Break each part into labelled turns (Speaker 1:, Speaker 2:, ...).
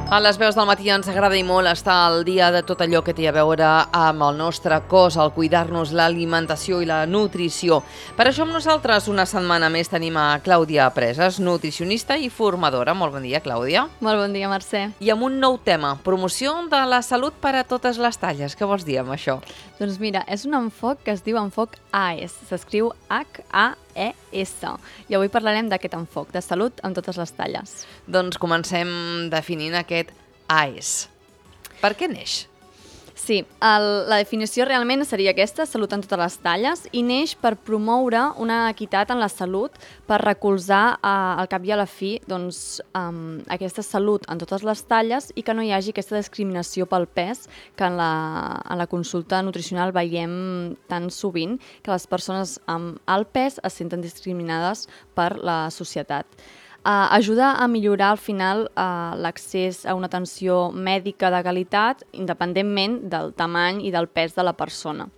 Speaker 1: A les veus del matí ens agrada i molt estar al dia de tot allò que té a veure amb el nostre cos, el cuidar-nos, l'alimentació i la nutrició. Per això amb nosaltres una setmana més tenim a Clàudia Presas, nutricionista i formadora. Molt bon dia, Clàudia.
Speaker 2: Molt bon dia, Mercè.
Speaker 1: I amb un nou tema, promoció de la salut per a totes les talles. Què vols dir amb això?
Speaker 2: Doncs mira, és un enfoc que es diu enfoc AES. S'escriu HAES. I avui parlarem d'aquest enfoc, de salut en totes les talles.
Speaker 1: Doncs comencem definint aquest AES. Per què neix?
Speaker 2: Sí, la definició realment seria aquesta, salut en totes les talles, i neix per promoure una equitat en la salut, per recolzar al cap i a la fi aquesta salut en totes les talles i que no hi hagi aquesta discriminació pel pes que en la consulta nutricional veiem tan sovint, que les persones amb alt pes es senten discriminades per la societat. Ajuda a millorar al final l'accés a una atenció mèdica de qualitat independentment del tamany i del pes de la persona.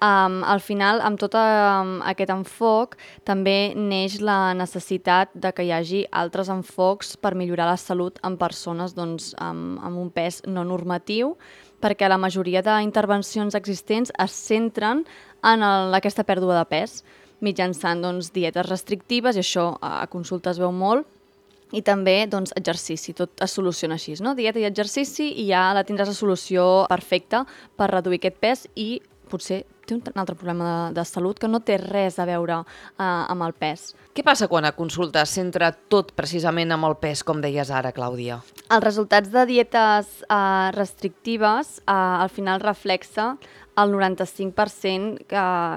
Speaker 2: Al final, amb tot aquest enfoc, també neix la necessitat de que hi hagi altres enfocs per millorar la salut en persones amb un pes no normatiu, perquè la majoria d'intervencions existents es centren en aquesta pèrdua de pes, mitjançant dietes restrictives, i això a consulta es veu molt, i també exercici, tot es soluciona així, no? Dieta i exercici, i ja tindràs la solució perfecta per reduir aquest pes, i potser té un altre problema de salut que no té res a veure amb el pes.
Speaker 1: Què passa quan a consulta es centra tot precisament amb el pes, com deies ara, Clàudia?
Speaker 2: Els resultats de dietes restrictives al final reflexa el 95%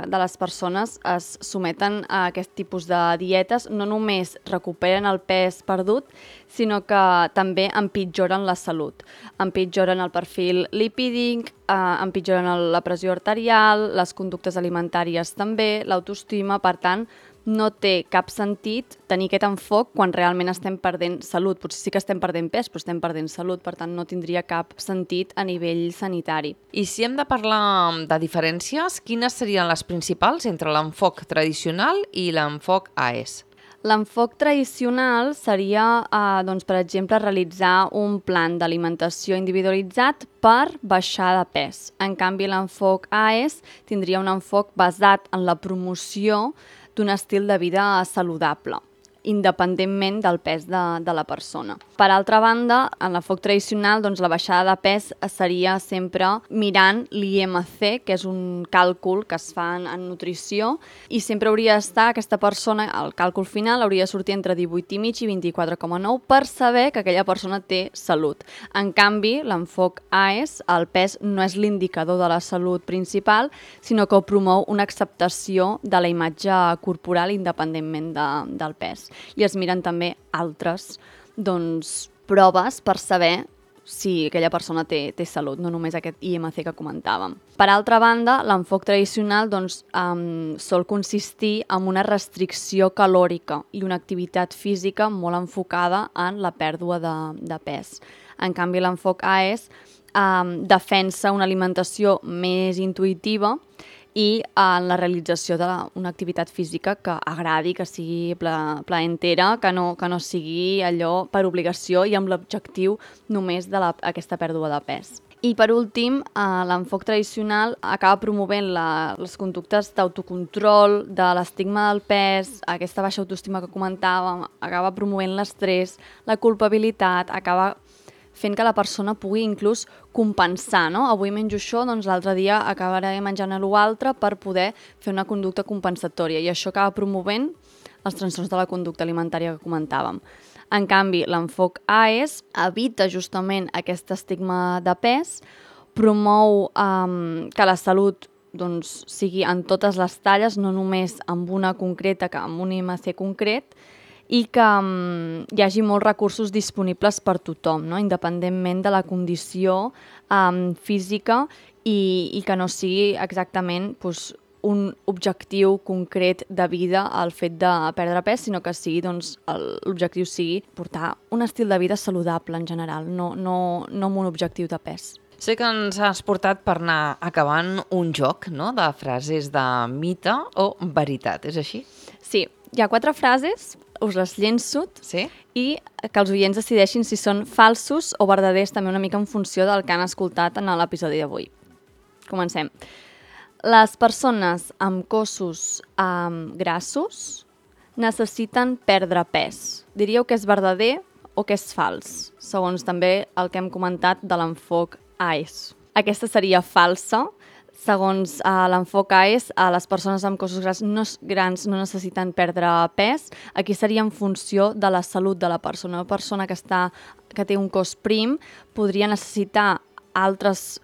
Speaker 2: de les persones es someten a aquest tipus de dietes, no només recuperen el pes perdut, sinó que també empitjoren la salut. Empitjoren el perfil lipídic, empitjoren la pressió arterial, les conductes alimentàries també, l'autoestima. Per tant, no té cap sentit tenir aquest enfoc quan realment estem perdent salut. Potser sí que estem perdent pes, però estem perdent salut, per tant no tindria cap sentit a nivell sanitari.
Speaker 1: I si hem de parlar de diferències, quines serien les principals entre l'enfoc tradicional i l'enfoc AES?
Speaker 2: L'enfoc tradicional seria, per exemple, realitzar un plan d'alimentació individualitzat per baixar de pes. En canvi, l'enfoc AES tindria un enfoc basat en la promoció d'un estil de vida saludable, independentment del pes de la persona. Per altra banda, en l'enfoc tradicional, la baixada de pes seria sempre mirant l'IMC, que és un càlcul que es fa en nutrició, i sempre hauria d'estar aquesta persona, el càlcul final hauria de sortir entre 18,5 i 24,9 per saber que aquella persona té salut. En canvi, l'enfoc AES, el pes no és l'indicador de la salut principal, sinó que promou una acceptació de la imatge corporal independentment del pes. I es miren també altres proves per saber si aquella persona té salut, no només aquest IMC que comentàvem. Per altra banda, l'enfoc tradicional sol consistir en una restricció calòrica i una activitat física molt enfocada en la pèrdua de pes. En canvi, l'enfoc AES defensa una alimentació més intuïtiva i en la realització d'una activitat física que agradi, que sigui plaentera, que no sigui allò per obligació i amb l'objectiu només d'aquesta pèrdua de pes. I per últim, l'enfoc tradicional acaba promovent les conductes d'autocontrol, de l'estigma del pes, aquesta baixa autoestima que comentàvem, acaba promovent l'estrès, la culpabilitat, acaba fent que la persona pugui inclús compensar, no? Avui menjo això, l'altre dia acabaré menjant l'altre per poder fer una conducta compensatòria, i això acaba promovent els trastorns de la conducta alimentària que comentàvem. En canvi, l'enfoc AES evita justament aquest estigma de pes, promou que la salut sigui en totes les talles, no només amb una concreta, que amb un IMC concret, i que hi hagi molts recursos disponibles per tothom, no? Independentment de la condició física, i que no sigui exactament un objectiu concret de vida el fet de perdre pes, sinó que l'objectiu sigui portar un estil de vida saludable en general, no amb un objectiu de pes.
Speaker 1: Sé que ens has portat per anar acabant un joc, no?, de frases de mite o veritat, és així?
Speaker 2: Sí, hi ha 4 frases. us les llenço
Speaker 1: Sí?
Speaker 2: i que els oients decideixin si són falsos o verdaders, també una mica en funció del que han escoltat en l'episodi d'avui. Comencem. Les persones amb cossos grassos necessiten perdre pes. Diríeu que és verdader o que és fals, segons també el que hem comentat de l'enfoc AES. Aquesta seria falsa. Segons l'enfoc AES, les persones amb cossos grans no necessiten perdre pes. Aquí seria en funció de la salut de la persona. Una persona que té un cos prim podria necessitar altres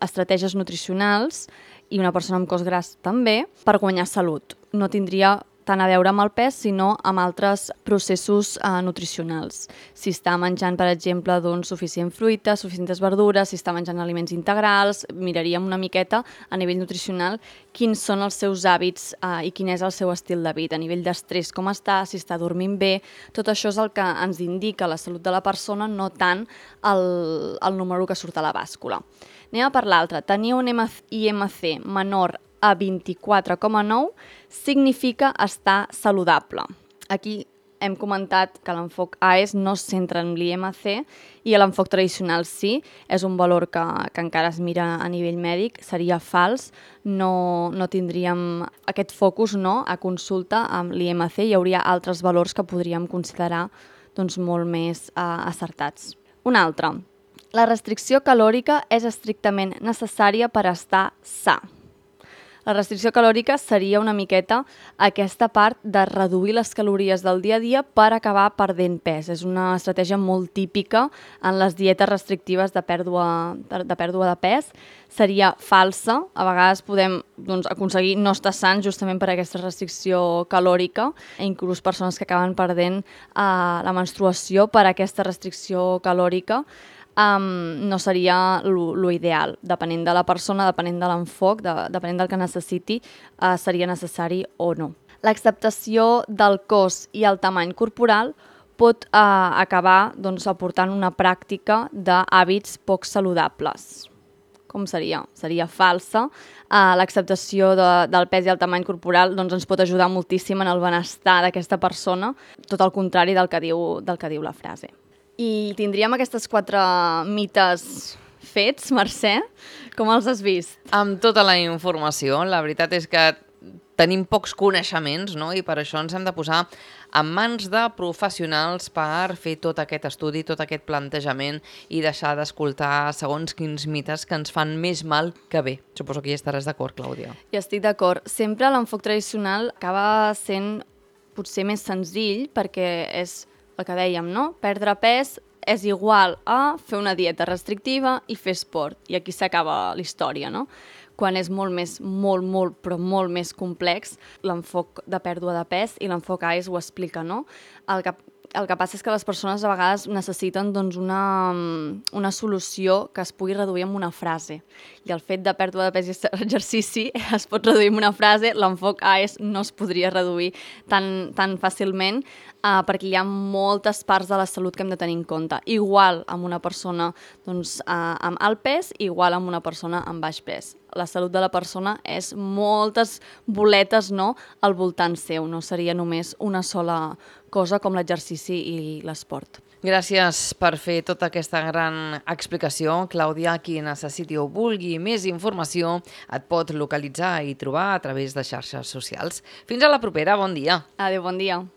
Speaker 2: estratègies nutricionals i una persona amb cos gras també per guanyar salut. No tindria tant a veure amb el pes, sinó amb altres processos nutricionals. Si està menjant, per exemple, suficient fruita, suficients verdures, si està menjant aliments integrals, miraríem una miqueta a nivell nutricional quins són els seus hàbits i quin és el seu estil de vida, a nivell d'estrès, com està, si està dormint bé. Tot això és el que ens indica la salut de la persona, no tant el número que surt a la bàscula. Anem a per l'altre. Tenir un IMC menor a 24,9 significa estar saludable. Aquí hem comentat que l'enfoc AES no es centra en l'IMC i l'enfoc tradicional sí, és un valor que encara es mira a nivell mèdic, seria fals, no tindríem aquest focus a consulta amb l'IMC, hi hauria altres valors que podríem considerar molt més acertats. Un altre, la restricció calòrica és estrictament necessària per estar sa. La restricció calòrica seria una miqueta aquesta part de reduir les calories del dia a dia per acabar perdent pes. És una estratègia molt típica en les dietes restrictives de pèrdua de pes. Seria falsa. A vegades podem aconseguir no estar sans justament per aquesta restricció calòrica. Inclús persones que acaben perdent la menstruació per aquesta restricció calòrica. No seria l'ideal. Depenent de la persona, depenent de l'enfoc, depenent del que necessiti, seria necessari o no. L'acceptació del cos i el tamany corporal pot acabar aportant una pràctica d'hàbits poc saludables. Com seria? Seria falsa. L'acceptació del pes i el tamany corporal ens pot ajudar moltíssim en el benestar d'aquesta persona, tot el contrari del que diu la frase. I tindríem aquestes 4 mites fets, Mercè. Com els has vist?
Speaker 1: Amb tota la informació, la veritat és que tenim pocs coneixements, no? I per això ens hem de posar en mans de professionals per fer tot aquest estudi, tot aquest plantejament i deixar d'escoltar segons quins mites que ens fan més mal que bé. Suposo que hi estaràs d'acord, Clàudia.
Speaker 2: Ja estic d'acord. Sempre l'enfoc tradicional acaba sent potser més senzill perquè és el que dèiem, no? Perdre pes és igual a fer una dieta restrictiva i fer esport. I aquí s'acaba la història, no? Quan és molt més complex, l'enfoc de pèrdua de pes i l'enfoc AES ho explica, no? El que passa és que les persones a vegades necessiten una solució que es pugui reduir amb una frase. I el fet de pèrdua de pes i exercici es pot reduir amb una frase, l'enfoc AES no es podria reduir tan fàcilment perquè hi ha moltes parts de la salut que hem de tenir en compte. Igual amb una persona amb alt pes, igual amb una persona amb baix pes. La salut de la persona és moltes boletes al voltant seu, no seria només una sola cosa com l'exercici i l'esport.
Speaker 1: Gràcies per fer tota aquesta gran explicació. Clàudia, qui necessiti o vulgui més informació et pot localitzar i trobar a través de xarxes socials. Fins a la propera, bon dia.
Speaker 2: Adéu, bon dia.